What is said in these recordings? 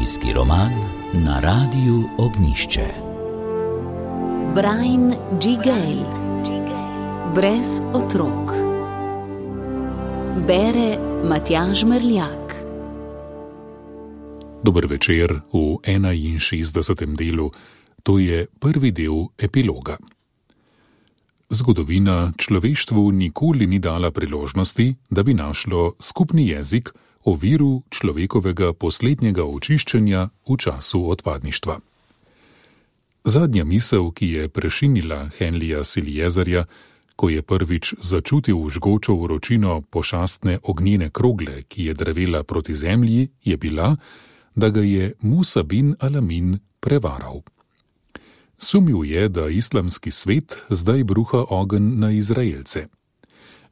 Zgodovinski roman na Radiu Ognjišče. Brian G. Gale. Brez otrok. Bere Matjaž Merljak. Dober večer v 61. delu, to je prvi del epiloga. Zgodovina človeštvu nikoli ni dala priložnosti, da bi našlo skupni jezik o viru človekovega poslednjega očiščenja v času odpadništva. Zadnja misel, ki je prešinila Henlija Siljezerja, ko je prvič začutil žgočo vročino pošastne ognjene krogle, ki je drvela proti zemlji, je bila, da ga je Musa bin Alamin prevaral. Sumil je, da islamski svet zdaj bruha ogenj na Izraelce.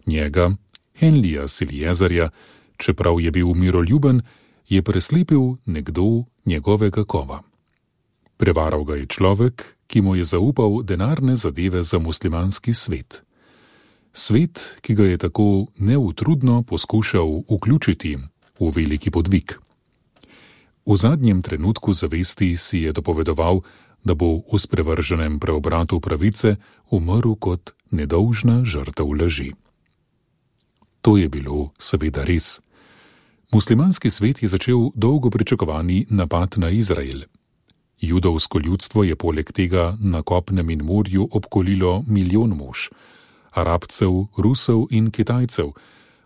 Njega, Henlija Siljezerja, čeprav je bil miroljuben, je preslepil nekdo njegovega kova. Prevaral ga je človek, ki mu je zaupal denarne zadeve za muslimanski svet. Svet, ki ga je tako neutrudno poskušal vključiti v veliki podvig. V zadnjem trenutku zavesti si je dopovedoval, da bo v sprevrženem preobratu pravice umrl kot nedolžna žrtev laži. To je bilo seveda res. Muslimanski svet je začel dolgo pričakovani napad na Izrael. Judovsko ljudstvo je poleg tega na kopnem in morju obkolilo milijon mož, Arabcev, Rusov in Kitajcev,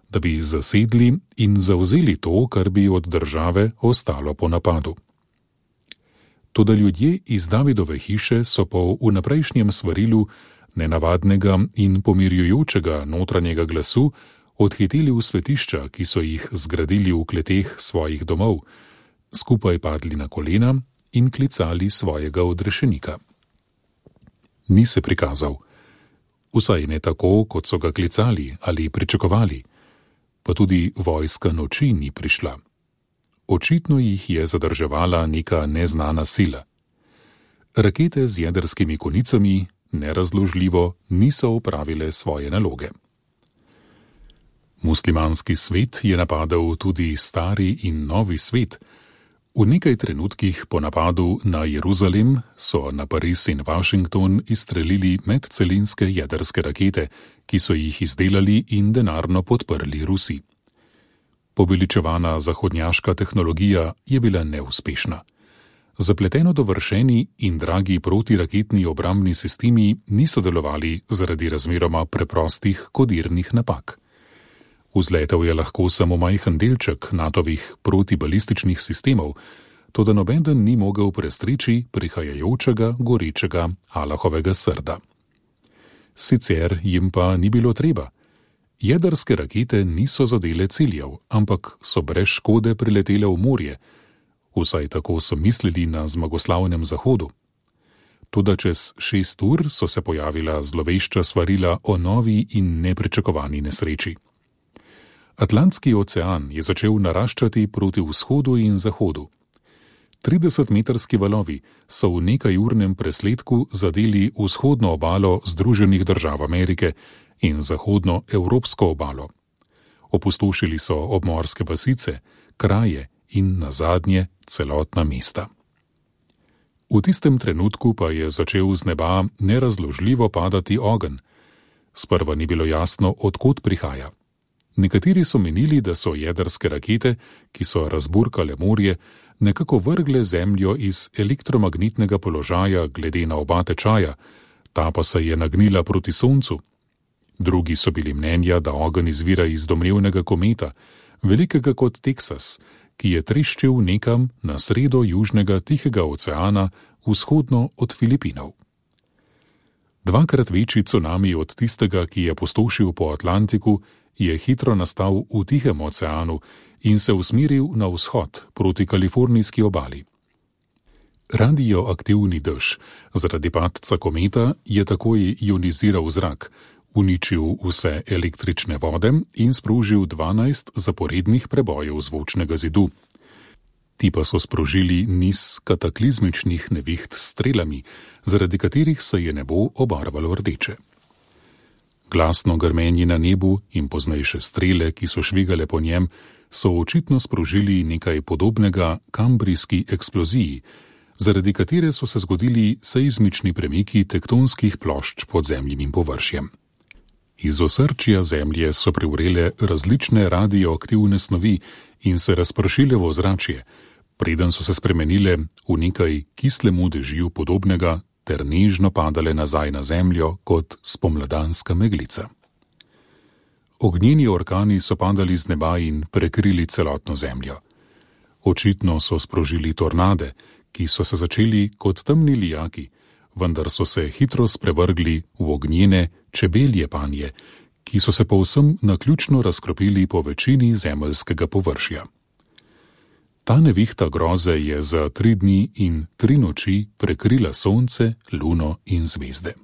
da bi zasedli in zavzeli to, kar bi od države ostalo po napadu. Toda ljudje iz Davidove hiše so po vnaprejšnjem svarilu nenavadnega in pomirjujočega notranjega glasu odhiteli v svetišča, ki so jih zgradili v kleteh svojih domov, skupaj padli na kolena in klicali svojega odrešenika. Ni se prikazal, vsaj ne tako, kot so ga klicali ali pričakovali, pa tudi vojska noči ni prišla. Očitno jih je zadrževala neka neznana sila. Rakete z jedrskimi konicami nerazložljivo niso opravile svoje naloge. Muslimanski svet je napadal tudi stari in novi svet. V nekaj trenutkih po napadu na Jeruzalem so na Pariz in Washington izstrelili medcelinske jedrske rakete, ki so jih izdelali in denarno podprli Rusi. Poveličevana zahodnjaška tehnologija je bila neuspešna. Zapleteno dovršeni in dragi protiraketni obrambni sistemi niso delovali zaradi razmeroma preprostih kodirnih napak. Vzletel je lahko samo majhen delček NATO-vih protibalističnih sistemov, toda nobeden ni mogel prestreči prihajajočega gorečega Allahovega srda. Sicer jim pa ni bilo treba. Jedrske rakete niso zadele ciljev, ampak so brez škode priletele v morje, vsaj tako so mislili na zmagoslavnem zahodu. Toda čez 6 ur so se pojavila zlovešča svarila o novi in nepričakovani nesreči. Atlantski ocean je začel naraščati proti vzhodu in zahodu. 30-metrski valovi so v nekajurnem presledku zadeli vzhodno obalo Združenih držav Amerike in zahodno evropsko obalo. Opustošili so obmorske vasice, kraje in nazadnje celotna mesta. V tistem trenutku pa je začel z neba nerazložljivo padati ogenj. Sprva ni bilo jasno, od kod prihaja. Nekateri so menili, da so jedrske rakete, ki so razburkale morje, nekako vrgle zemljo iz elektromagnetnega položaja glede na oba tečaja, ta pa se je nagnila proti soncu. Drugi so bili mnenja, da ogenj izvira iz domnevnega kometa, velikega kot Teksas, ki je treščil nekam na sredo južnega Tihega oceana, vzhodno od Filipinov. Dvakrat večji cunami od tistega, ki je pustošil po Atlantiku, je hitro nastal v Tihem oceanu in se usmeril na vzhod proti kalifornijski obali. Radioaktivni dež zaradi padca kometa je takoj ioniziral zrak, uničil vse električne vode in sprožil 12 zaporednih prebojev zvočnega zidu. Ti pa so sprožili niz kataklizmičnih neviht s strelami, zaradi katerih se je nebo obarvalo rdeče. Glasno grmenje na nebu in poznejše strele, ki so švigale po njem, so očitno sprožili nekaj podobnega kambrijski eksploziji, zaradi katere so se zgodili seizmični premiki tektonskih plošč pod zemljinim površjem. Iz osrčja Zemlje so privrele različne radioaktivne snovi in se razpršile v ozračje, preden so se spremenile v nekaj kislemu dežju podobnega ter nežno padale nazaj na Zemljo kot spomladanska meglica. Ognjeni orkani so padali z neba in prekrili celotno Zemljo. Očitno so sprožili tornade, ki so se začeli kot temni lijaki, vendar so se hitro sprevrgli v ognjene čebelje panje, ki so se povsem naključno razkropili po večini zemeljskega površja. Ta nevihta groze je za 3 dni in 3 noči prekrila sonce, luno in zvezde.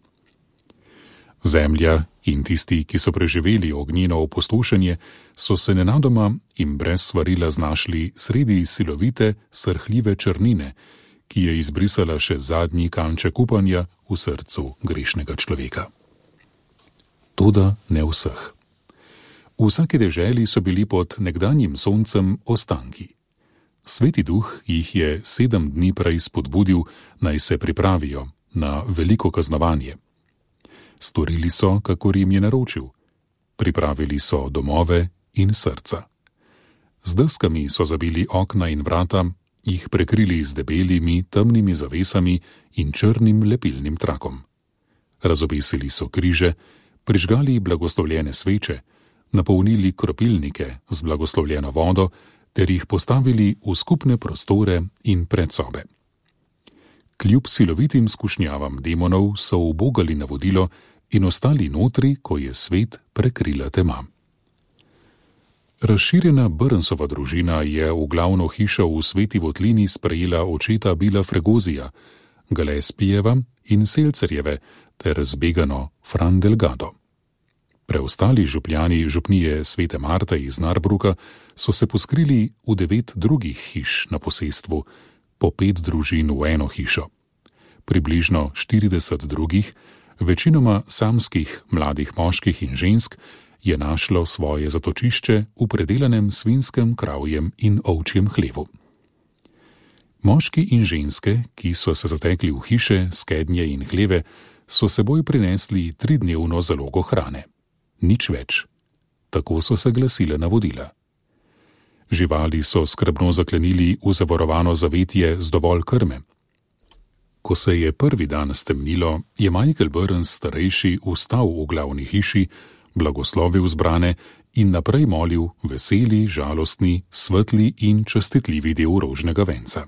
Zemlja in tisti, ki so preživeli ognjeno opustošenje, so se nenadoma in brez svarila znašli sredi silovite, srhljive črnine, ki je izbrisala še zadnji kanček upanja v srcu grešnega človeka. Toda ne vseh. V vsaki deželi so bili pod nekdanjim soncem ostanki. Sveti duh jih je 7 dni prej spodbudil, naj se pripravijo na veliko kaznovanje. Storili so, kakor jim je naročil. Pripravili so domove in srca. Z deskami so zabili okna in vrata, jih prekrili z debelimi, temnimi zavesami in črnim lepilnim trakom. Razobesili so križe, prižgali blagoslovljene sveče, napolnili kropilnike z blagoslovljeno vodo ter jih postavili v skupne prostore in predsobe. Kljub silovitim skušnjavam demonov so ubogali navodilo in ostali notri, ko je svet prekrila tema. Razširjena Burnsova družina je v glavno hišo v Sveti Votlini sprejela očeta Billa Fregozija, Gillespijeva in Selcerjeve ter zbegano Fran Delgado. Preostali župljani župnije Svete Marte iz Narbruka so se poskrili v 9 drugih hiš na posestvu, po 5 družin v eno hišo. Približno 40 drugih, večinoma samskih mladih moških in žensk, je našlo svoje zatočišče v predelanem svinskem, kravjem in ovčjem hlevu. Moški in ženske, ki so se zatekli v hiše, skednje in hleve, so seboj prinesli 3-dnevno zalogo hrane. Nič več. Tako so se glasile navodila. Živali so skrbno zaklenili v zavarovano zavetje z dovolj krme. Ko se je prvi dan stemnilo, je Michael Burns starejši vstal v glavni hiši, blagoslovil zbrane in naprej molil veseli, žalostni, svetli in častitljivi del rožnega venca.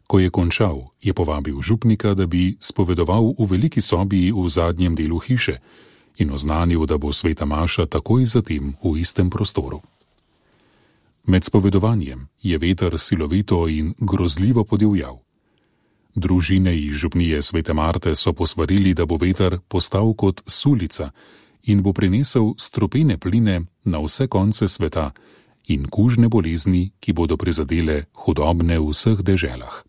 Ko je končal, je povabil župnika, da bi spovedoval v veliki sobi v zadnjem delu hiše in oznanil, da bo sveta maša takoj zatem v istem prostoru. Med spovedovanjem je veter silovito in grozljivo podivjal. Družine iz župnije Svete Marte so posvarili, da bo veter postal kot sulica in bo prinesel strupene pline na vse konce sveta in kužne bolezni, ki bodo prizadele hudobne v vseh deželah.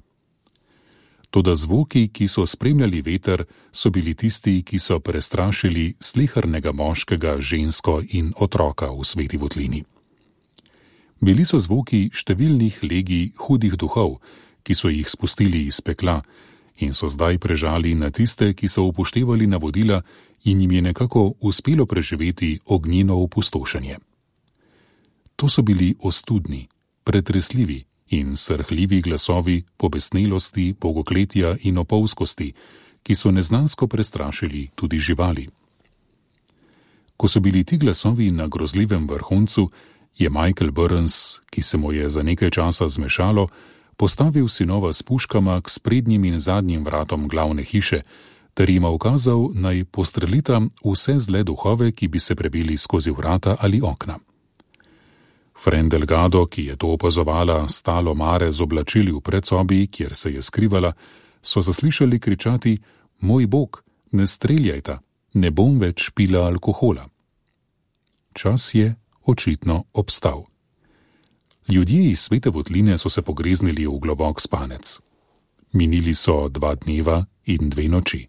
Toda zvoki, ki so spremljali veter, so bili tisti, ki so prestrašili slehrnega moškega, žensko in otroka v Sveti Votlini. Bili so zvoki številnih legij hudih duhov, ki so jih spustili iz pekla in so zdaj prežali na tiste, ki so upoštevali navodila in jim je nekako uspelo preživeti ognjeno opustošenje. To so bili ostudni, pretresljivi in srhljivi glasovi pobesnelosti, bogokletja in opolskosti, ki so neznansko prestrašili tudi živali. Ko so bili ti glasovi na grozljivem vrhuncu, je Michael Burns, ki se mu je za nekaj časa zmešalo, postavil sinova s puškama k sprednjim in zadnjim vratom glavne hiše, ter jima ukazal, naj postrelita vse zle duhove, ki bi se prebili skozi vrata ali okna. Fran Delgado, ki je to opazovala, stalo mare z oblačili v predsobi, kjer se je skrivala, so zaslišali kričati: "Moj bog, ne streljajta, ne bom več pila alkohola." Čas je očitno obstal. Ljudje iz Svete Votline so se pogreznili v globok spanec. Minili so 2 dneva in 2 noči.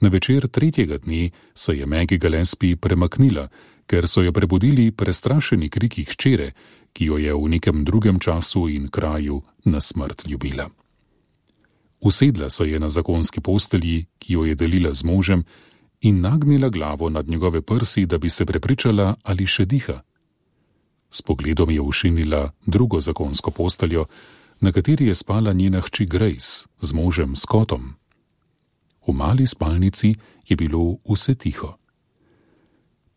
Na večer 3. dne se je Maggie Gillespie premaknila ker so jo prebudili prestrašeni kriki hčere, ki jo je v nekem drugem času in kraju na smrt ljubila. Usedla se je na zakonski postelji, ki jo je delila z možem, in nagnila glavo nad njegove prsi, da bi se prepričala, ali še diha. S pogledom je ušinila drugo zakonsko posteljo, na kateri je spala njena hči Grace z možem Scottom. V mali spalnici je bilo vse tiho.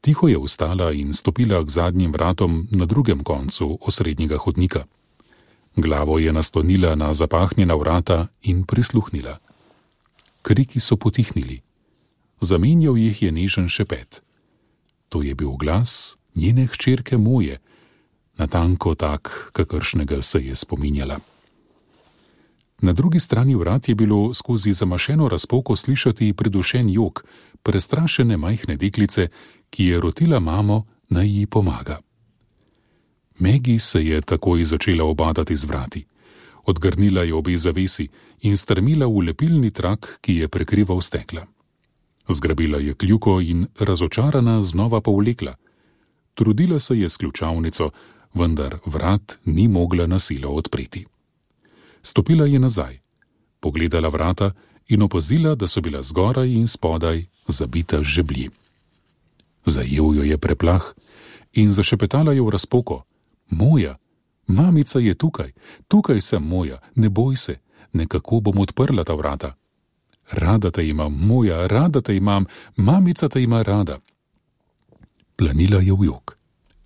Tiho je vstala in stopila k zadnjim vratom na drugem koncu osrednjega hodnika. Glavo je naslonila na zapahnjena vrata in prisluhnila. Kriki so potihnili. Zamenjal jih je nežen šepet. To je bil glas njene hčerke Moje, natanko tak, kakršnega se je spominjala. Na drugi strani vrat je bilo skozi zamašeno razpoko slišati pridušen jok prestrašene majhne deklice, ki je rotila mamo, naj ji pomaga. Maggie se je takoj začela obadati z vrati. Odgrnila je obe zavesi in strmila v lepilni trak, ki je prekrival stekla. Zgrabila je kljuko in razočarana znova povlekla. Trudila se je s ključavnico, vendar vrat ni mogla na silo odpreti. Stopila je nazaj, pogledala vrata in opazila, da so bila zgoraj in spodaj zabita z žeblji. Zajel jo je preplah in zašepetala je v razpoko. Moja, mamica je tukaj, tukaj sem Moja, ne boj se, nekako bom odprla ta vrata. Rada te imam, Moja, rada te imam, mamica te ima rada. Planila je v jok.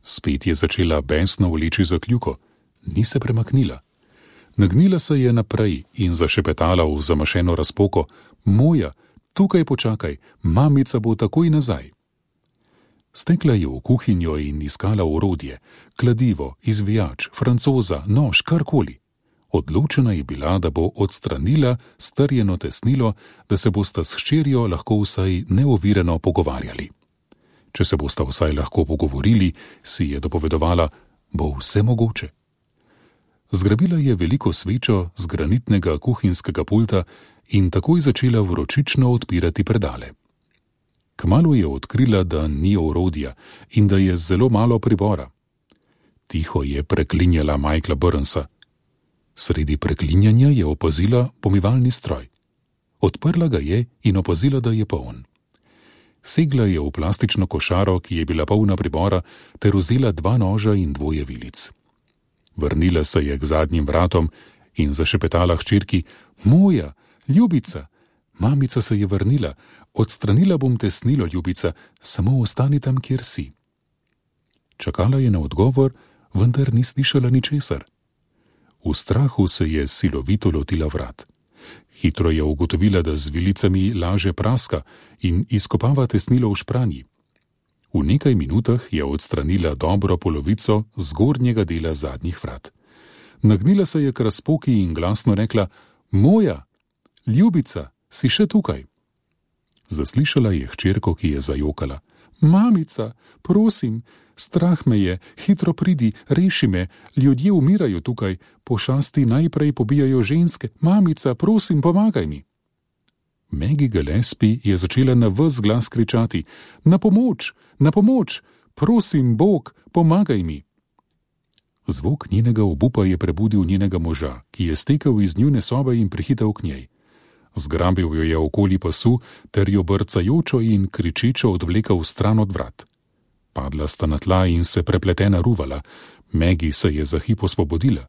Spet je začela besno vleči za kljuko, ni se premaknila. Nagnila se je naprej in zašepetala v zamašeno razpoko. Moja, tukaj počakaj, mamica bo takoj nazaj. Stekla je v kuhinjo in iskala orodje, kladivo, izvijač, francoza, nož, karkoli. Odločena je bila, da bo odstranila strjeno tesnilo, da se bosta s hčerjo lahko vsaj neovirano pogovarjali. Če se bosta vsaj lahko pogovorili, si je dopovedovala, bo vse mogoče. Zgrabila je veliko svečo z granitnega kuhinjskega pulta in takoj začela vročično odpirati predale. Kmalu je odkrila, da ni orodja in da je zelo malo pribora. Tiho je preklinjala Michaela Burnsa. Sredi preklinjanja je opazila pomivalni stroj. Odprla ga je in opazila, da je poln. Segla je v plastično košaro, ki je bila polna pribora, ter vzela 2 noža in 2 vilic. Vrnila se je k zadnjim vratom in zašepetala hčerki. Moja, ljubica! Mamica se je vrnila. Odstranila bom tesnilo, ljubica, samo ostani tam, kjer si. Čakala je na odgovor, vendar ni slišala ničesar. V strahu se je silovito lotila vrat. Hitro je ugotovila, da z vilicami laže praska in izkopava tesnilo v špranji. V nekaj minutah je odstranila dobro polovico zgornjega dela zadnjih vrat. Nagnila se je k razpoki in glasno rekla: Moja, ljubica, si še tukaj? Zaslišala je hčerko, ki je zajokala. Mamica, prosim, strah me je, hitro pridi, reši me, ljudje umirajo tukaj, pošasti najprej pobijajo ženske, mamica, prosim, pomagaj mi. Maggie Gillespie je začela na ves glas kričati: Na pomoč, prosim, Bog, pomagaj mi. Zvok njenega obupa je prebudil njenega moža, ki je stekel iz njune sobe in prihitel k njej. Zgrabil jo je okoli pasu ter jo brcajočo in kričečo odvlekel stran od vrat. Padla sta na tla in se prepletena ruvala. Maggie se je za hip osvobodila.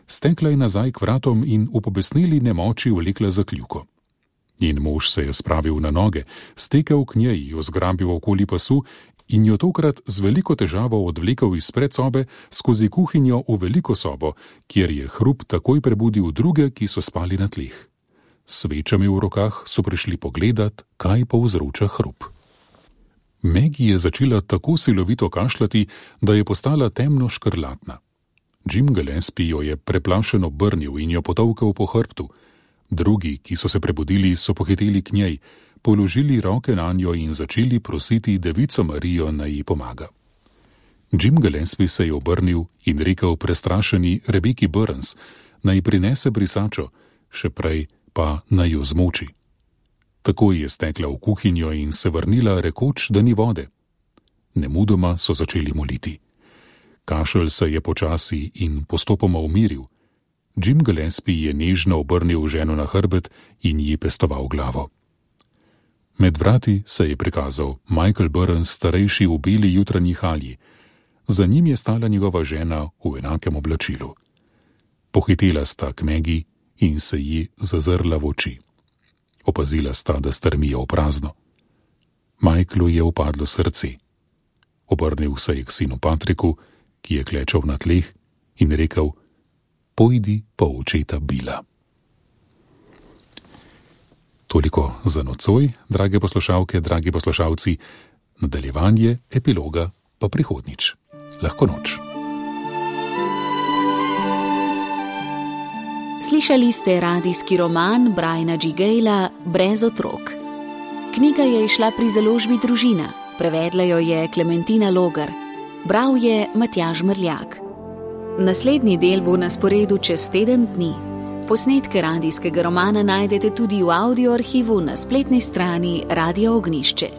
Stekla je nazaj k vratom in v pobesneli nemoči vlekla za kljuko. Njen mož se je spravil na noge, stekel k njej, jo zgrabil okoli pasu in jo tokrat z veliko težavo odvlekel iz predsobe skozi kuhinjo v veliko sobo, kjer je hrup takoj prebudil druge, ki so spali na tleh. S svečami v rokah so prišli pogledat, kaj povzroča hrup. Maggie je začela tako silovito kašljati, da je postala temno škrlatna. Jim Gillespie jo je preplašeno obrnil in jo potolkel po hrbtu. Drugi, ki so se prebudili, so pohiteli k njej, položili roke nanjo in začeli prositi Devico Marijo, naj ji pomaga. Jim Gillespie se je obrnil in rekel prestrašeni Rebeki Burns, naj prinese brisačo, še prej pa naj jo zmoči. Takoj je stekla v kuhinjo in se vrnila, rekoč, da ni vode. Nemudoma so začeli moliti. Kašelj se je počasi in postopoma umiril. Jim Gillespie je nežno obrnil ženo na hrbet in ji pestoval glavo. Med vrati se je prikazal Michael Burns, starejši v beli jutranji halji. Za njim je stala njegova žena v enakem oblačilu. Pohitela sta k Maggie in se ji zazrla v oči. Opazila sta, da strmijo v prazno. Michaelu je upadlo srce. Obrnil se je k sinu Patriku, ki je klečal na tleh, in rekel: "Pojdi po očeta Billa." Toliko za nocoj, drage poslušalke, dragi poslušalci, nadaljevanje epiloga pa prihodnjič. Lahko noč. Slišali ste radijski roman Briana G. Gayla Brez otrok. Knjiga je izšla pri založbi Družina, prevedla jo je Klementina Logar, bral je Matjaž Mrljak. Naslednji del bo na sporedu čez teden dni. Posnetke radijskega romana najdete tudi v audio arhivu na spletni strani Radia Ognjišče.